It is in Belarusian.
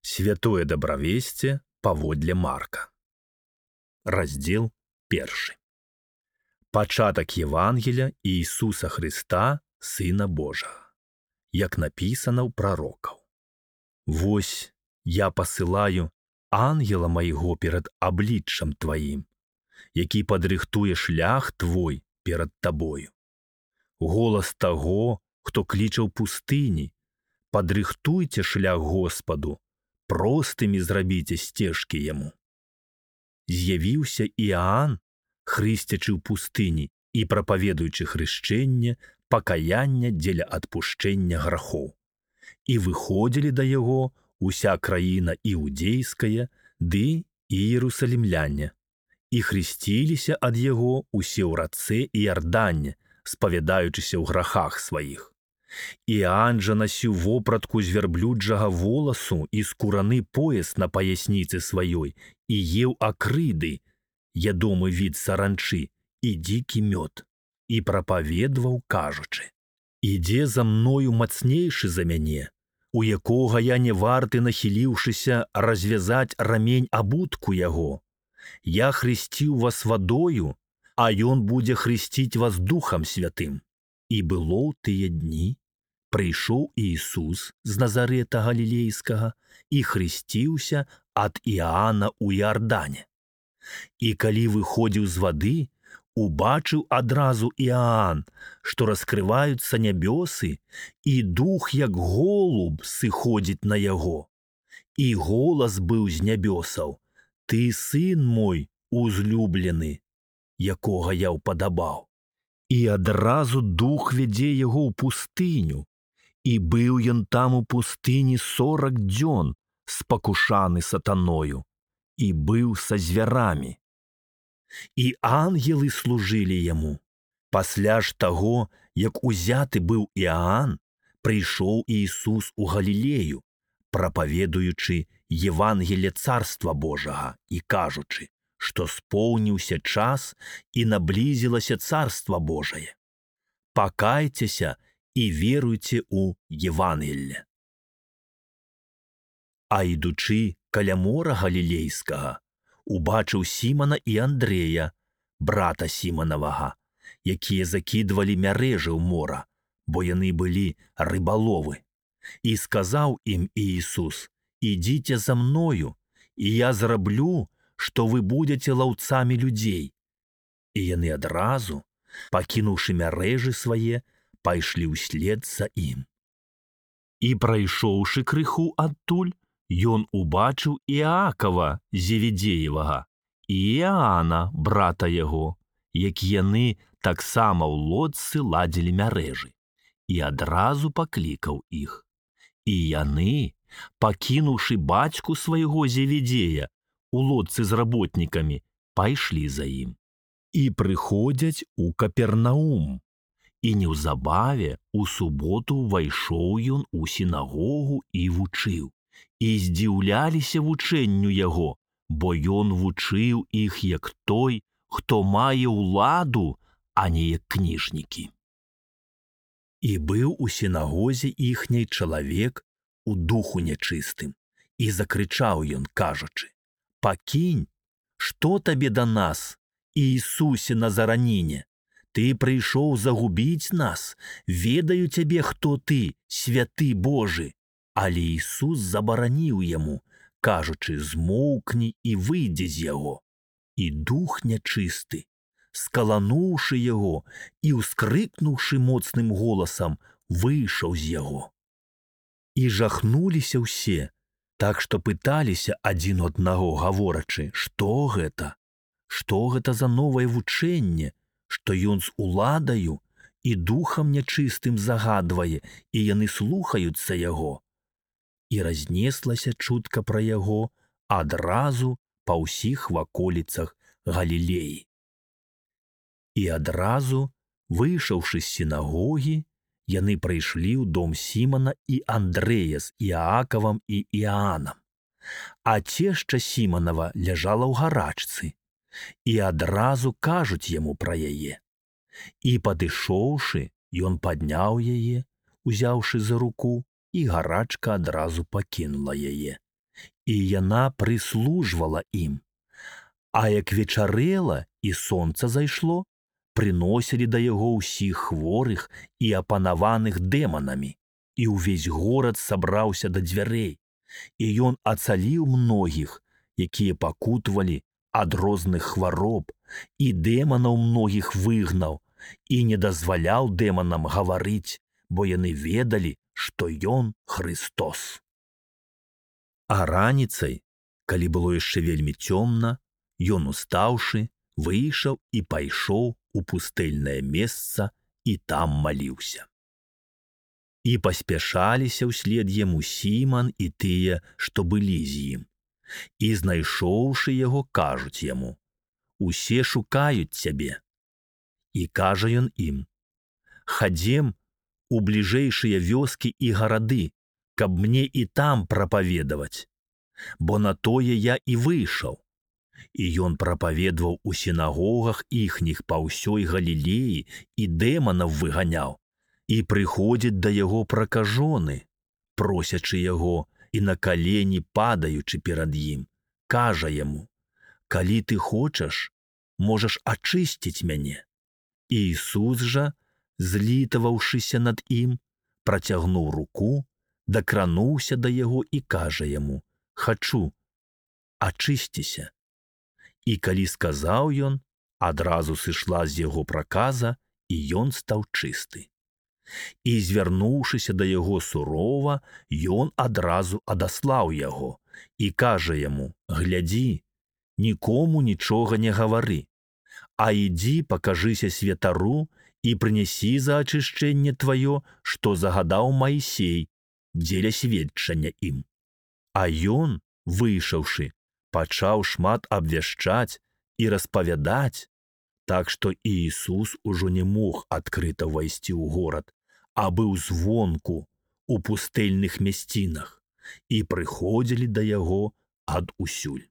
Святое дабравесце паводле Марка. Раздзел 1. Пачатак Евангеля Ісуса Хрыста, Сына Божага, як напісана ў прарокаў. Вось я пасылаю ангела майго перад абліччам тваім, які падрыхтуе шлях твой перад табою. Голас таго, хто кліча ў пустыні: падрыхтуйце шлях Господу, простымі зрабіце сцежкі яму. З'явіўся Іаан, хрысцячы ў пустыні і прапаведуючы хрышчэнне, пакаяння дзеля адпушчэння грахоў. І выходзілі да яго уся краіна іудзейская ды і іерусалімляне, і хрысціліся ад яго усе ў рацэ Іардане, спавядаючыся ў грахах сваіх. Іаан жа насіў вопратку з вярблюджага воласу і скураны пояс на паясніцы сваёй і еў акрыды, ядомы від саранчы, і дзікі мёд, і прапаведваў, кажучы: «Ідзе за мною мацнейшы за мяне, у якога я не варты, нахіліўшыся, развязаць рамень абутку яго. Я хрысціў вас вадою, а ён будзе хрысціць вас Духам Святым». І было ў тыя дні, прыйшоў Ісус з Назарэта Галілейскага і хрысціўся ад Іаана ў Іардане. І калі выходзіў з вады, убачыў адразу Іаан, што раскрываюцца нябёсы, і дух, як голуб, сыходзіць на яго. І голас быў з нябёсаў: «Ты сын мой узлюблены, якога я ўпадабаў». І адразу дух вядзе яго ў пустыню, і быў ён там у пустыні 40 дзён, спакушаны сатаною, і быў са звярамі. І ангелы служылі яму. Пасля ж таго, як узяты быў Іаан, прыйшоў Ісус у Галілею, прапаведуючы Евангелле Царства Божага і кажучы, што споўніўся час і наблізілася Царства Божае. Пакайцеся і веруйце ў Евангелле. А ідучы каля мора Галілейскага, убачыў Сімона і Андрэя, брата Сімонавага, якія закідвалі мярэжы ў мора, бо яны былі рыбаловы. І сказаў ім Ісус: «Ідзіце за мною, і я зраблю, што вы будзеце лаўцамі людзей». І яны адразу, пакінуўшы мярэжы свае, пайшлі ўслед за ім. І прайшоўшы крыху адтуль, ён убачыў Іакава Зеведзеевага і Іаана, брата яго, як яны таксама ў лодцы ладзілі мярэжы, і адразу паклікаў іх. І яны, пакінуўшы бацьку свайго Зеведзея у лодцы з работнікамі, пайшлі за ім. І прыходзяць у Капернаум. І неўзабаве у суботу ўвайшоў ён у сінагогу і вучыў. І здзіўляліся вучэнню яго, бо ён вучыў іх як той, хто мае ўладу, а не як кніжнікі. І быў у сінагозе іхняй чалавек у духу нячыстым, і закрычаў ён, кажучы: «Пакінь, што табе да нас, Іісусе Назараніне? Ты прыйшоў загубіць нас, ведаю цябе, хто ты, святы Божы». Але Ісус забараніў яму, кажучы: «Змоўкні і выйдзе з яго». І дух нячысты, скалануўшы яго і ўскрыкнуўшы моцным голасам, выйшаў з яго. І жахнуліся ўсе, так што пыталіся адзін аднаго, гаворачы: «Што гэта? Што гэта за новае вучэнне, што ён з уладаю і духам нячыстым загадвае, і яны слухаюцца яго?» І разнеслася чутка пра яго адразу па ўсіх ваколіцах Галілеі. І адразу, выйшаўшы з сінагогі, яны прыйшлі ў дом Сімона і Андрэя з Іакавам і Іаанам. А цешча Сімонава ляжала ў гарачцы, і адразу кажуць яму пра яе. І падышоўшы, ён падняў яе, узяўшы за руку, і гарачка адразу пакінула яе. і яна прыслужвала ім. А як вечарэла і сонца зайшло, прыносілі да яго ўсіх хворых і апанаваных дэманамі, і ўвесь горад сабраўся да дзвярэй, і ён ацаліў многіх, якія пакутавалі ад розных хвароб, і дэманаў многіх выгнаў, і не дазваляў дэманам гаварыць, бо яны ведалі, што ён Хрыстос. А раніцай, калі было яшчэ вельмі цёмна, ён, устаўшы, выйшаў і пайшоў у пустэльнае месца і там маліўся. І паспяшаліся ўслед яму Сіман і тыя, што былі з ім. І, знайшоўшы яго, кажуць яму: «Усе шукаюць цябе». І кажа ён ім: «Хадзем у бліжэйшыя вёскі і гарады, каб мне і там прапаведаваць, бо на тое я і выйшаў». І ён прапаведаваў у сінагогах іхніх па ўсёй Галілеі і дэманаў выганяў. І прыходзяць да яго пракажоны, просячы яго, і на калені падаючы перад ім, кажа яму: «Калі ты хочаш, можаш ачысціць мяне». І Ісус жа, злітаваўшыся над ім, працягнуў руку, дакрануўся да яго і кажа яму: «Хачу, ачысціся». І калі сказаў ён, адразу сышла з яго праказа, і ён стаў чысты. І, звярнуўшыся да яго сурова, ён адразу адаслаў яго і кажа яму: «Глядзі, нікому нічога не гавары, а ідзі пакажыся святару і прынясі за ачышчэнне тваё, што загадаў Маісей, дзеля сведчання ім». А ён, выйшаўшы, пачаў шмат абвяшчаць і распавядаць, так што і Ісус ужо не мог адкрыта ўвайсці ў горад, а быў звонку у пустэльных мясцінах, і прыходзілі да яго адусюль.